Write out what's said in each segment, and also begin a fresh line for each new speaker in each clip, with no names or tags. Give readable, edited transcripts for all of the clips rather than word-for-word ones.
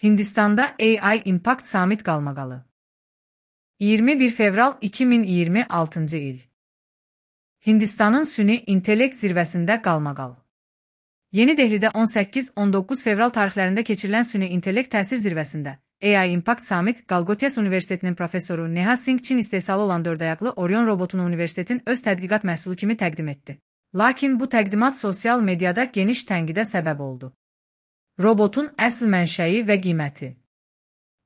Hindistanda AI Impact Summit qalmaqalı. 21 fevral 2026-cı il. Hindistanın süni intellekt zirvəsində qalmaqal. Yeni Dehlidə 18-19 fevral tarixlərində keçirilən süni intellekt təsir zirvəsində AI Impact Summit Galgotes Universitetinin professoru Neha Singh Çin istehsalı olan dördayaqlı Orion robotunu universitetin öz tədqiqat məhsulu kimi təqdim etdi. Lakin bu təqdimat sosial mediada geniş tənqidə səbəb oldu. Robotun əsl mənşəyi və qiyməti.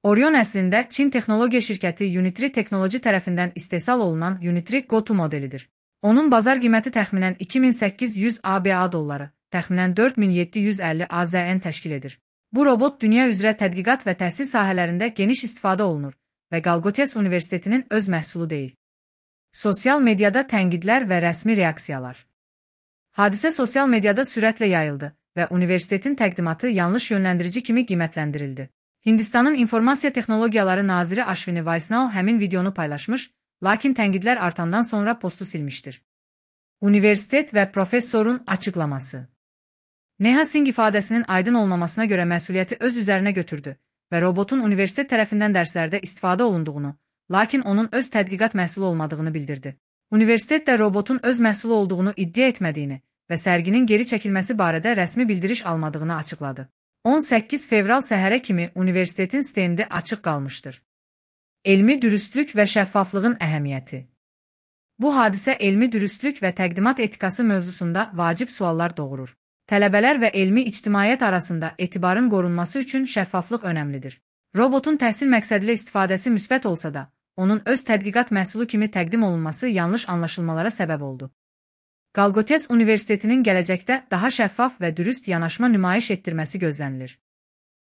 Orion əslində Çin texnologiya şirkəti Unitree Technology tərəfindən istehsal olunan Unitree Go-To modelidir. Onun bazar qiyməti təxminən 2800 ABA dolları, təxminən 4750 AZN təşkil edir. Bu robot dünya üzrə tədqiqat və təhsil sahələrində geniş istifadə olunur və Galgotes Universitetinin öz məhsulu deyil. Sosial mediada tənqidlər və rəsmi reaksiyalar. Hadisə sosial mediada sürətlə yayıldı və universitetin təqdimatı yanlış yönləndirici kimi qiymətləndirildi. Hindistanın İnformasiya Texnologiyaları Naziri Ashwini Vaishnava həmin videonu paylaşmış, lakin tənqidlər artandan sonra postu silmişdir. Universitet və professorun açıqlaması. Neha Singh ifadəsinin aydın olmamasına görə məsuliyyəti öz üzərinə götürdü və robotun universitet tərəfindən dərslərdə istifadə olunduğunu, lakin onun öz tədqiqat məhsulu olmadığını bildirdi. Universitet də robotun öz məhsulu olduğunu iddia etmədiyini və sərginin geri çəkilməsi barədə rəsmi bildiriş almadığını açıqladı. 18 fevral səhərə kimi universitetin stendi açıq qalmışdır. Elmi dürüstlük və şəffaflığın əhəmiyyəti. Bu hadisə elmi dürüstlük və təqdimat etikası mövzusunda vacib suallar doğurur. Tələbələr və elmi ictimaiyyət arasında etibarın qorunması üçün şəffaflıq önəmlidir. Robotun təhsil məqsədilə istifadəsi müsbət olsa da, onun öz tədqiqat məhsulu kimi təqdim olunması yanlış anlaşılmalara səbəb oldu. Galgotes Universitetinin gələcəkdə daha şəffaf və dürüst yanaşma nümayiş etdirməsi gözlənilir.